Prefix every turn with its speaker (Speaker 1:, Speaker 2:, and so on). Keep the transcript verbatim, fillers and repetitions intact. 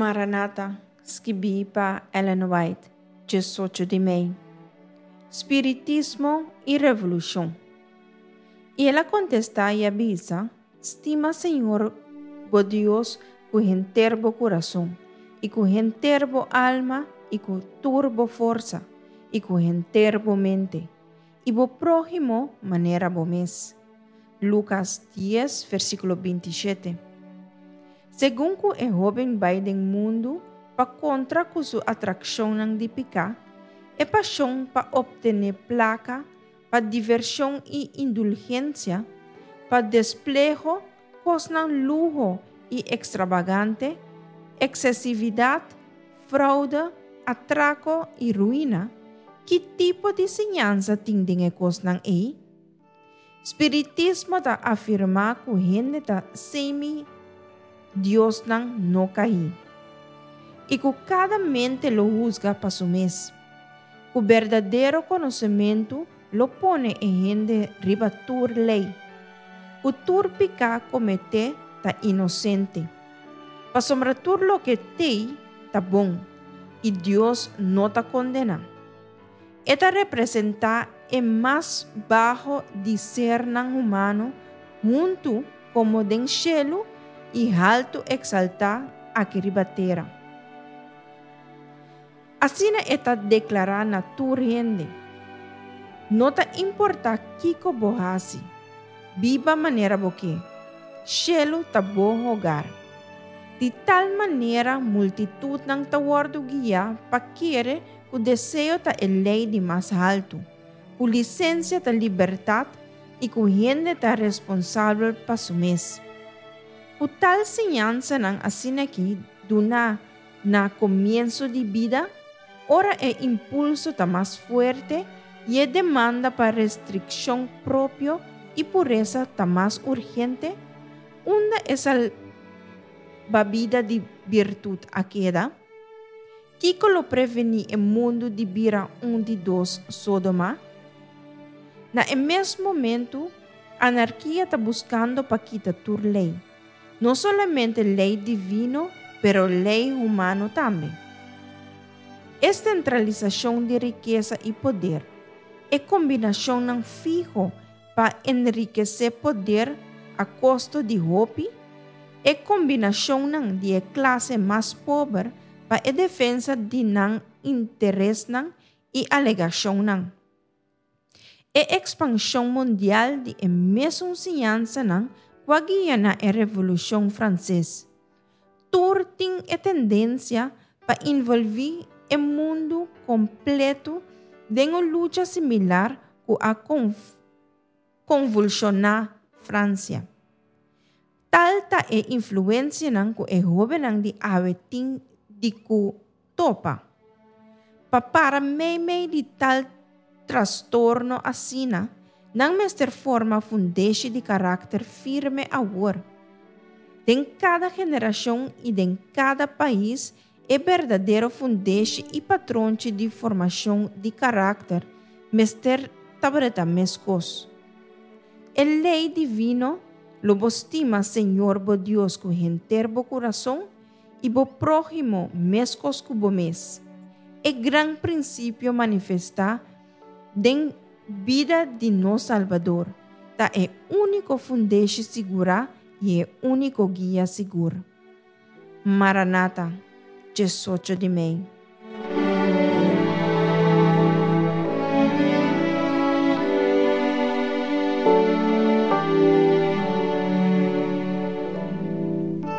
Speaker 1: Maranata, skibí pa Ellen White, diesocho di mei. Spiritismo i Revolushon. I el a kontestá i a bisa, Stima Señor bo Dios ku henter bo kurason, i ku henter bo alma, i ku tur bo forsa, i ku henter bo mente, i bo próhimo manera bo mes. Lukas dies, versíkulo binti shete. Segun ku e hóben bai den mundu pa kontra ku su atrakshonnan di piká, e pashon pa optené plaka, pa divershon i indulgensia, pa despleho, kosnan luho i ekstrabagante, eksesividat, froude, atrako i ruina, ki tipo di siñansa tin den e kosnan ei? Spiritismo ta afirmá ku hende ta semi diosnan no kaí, i ku kada mente lo husga pa su mes, ku berdadero konosementu lo pone e hende riba tur lei, ku tur piká kometé ta inosente, pasobra tur loke t'ei ta bon, i Dios no ta kondená. E ta representá e mas baho di sernan humano huntu komo den shelu i haltu eksaltá aki riba tera. Asina e ta deklará na tur hende, No ta importá kiko bo hasi, biba manera bo ke, shelu ta bo hogar. Di tal manera multitutnan ta wòrdu guiá pa kere ku deseo ta e lei di mas haltu, ku lisensia ta libertat i ku hende ta responsabel pa su mes. Ku tal siñansanan asin'aki duná na komienso di bida, ora e impulso ta mas fuerte i e demanda pa restrikshon propio i puresa ta mas urgente, unda e salbabida di birtut a keda? Kiko lo prevení e mundu di bira un di dos Sodoma? Na e mes momentu, anarkia ta buskando pa kita tur lei, no solamente lei divino pero lei humano tambe. E sentralisashon di rikesa i poder, e kombinashonnan fiho pa enrikesé poder a kosto di hopi, e kombinashonnan di e klase mas pober pa e defensa di nan interesnan i alegashonnan. E ekspanshon mundial di e mesun siñansanan ku a guia na e Revolushon Franses. Tur tin e tendensia pa involví e mundu kompletu den un lucha similar ku a konvulshoná Fransia. Tal ta e influensianan ku e hóbennan di awe tin di ku topa. Pa para meimei di tal trastorno asina, nan mester forma fundeshi di karakter firme awor. Den kada generashon i den kada pais e berdadero fundeshi i patronchi di formashon di karakter mester tabata meskos. E lei divino, Lo bo stima Señor bo Dios ku henter bo kurason i bo próhimo meskos ku bo mes, e gran prinsipio manifestá den bida di nos Salbador, ta e úniko fundeshi sigurá i e úniko guia sigur. Maranata, diesocho di mei.